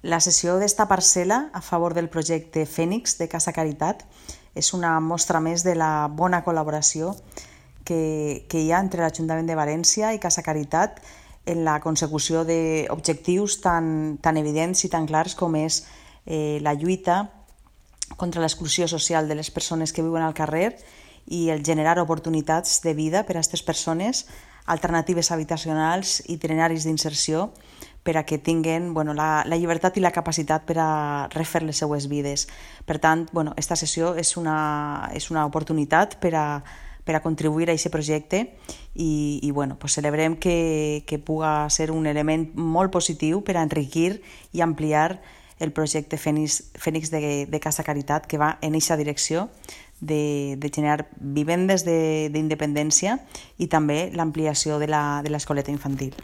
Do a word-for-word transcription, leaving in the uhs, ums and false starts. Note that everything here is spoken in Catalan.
La cessió d'esta parcel·la a favor del projecte Fènix de Casa Caritat és una mostra més de la bona col·laboració que, que hi ha entre l'Ajuntament de València i Casa Caritat en la consecució d'objectius tan, tan evidents i tan clars com és eh, la lluita contra l'exclusió social de les persones que viuen al carrer i el generar oportunitats de vida per a aquestes persones, alternatives habitacionals, itineraris d'inserció, per a que tinguin bueno, la, la llibertat i la capacitat per a refer les seues vides. Per tant, bueno, esta sessió és una, és una oportunitat per a, per a contribuir a aquest projecte i, i bueno, pues celebrem que, que puga ser un element molt positiu per a enriquir i ampliar el projecte Fènix, Fènix de, de Casa Caritat, que va en aquesta direcció de, de generar vivendes d'independència i també l'ampliació de l'escoleta infantil.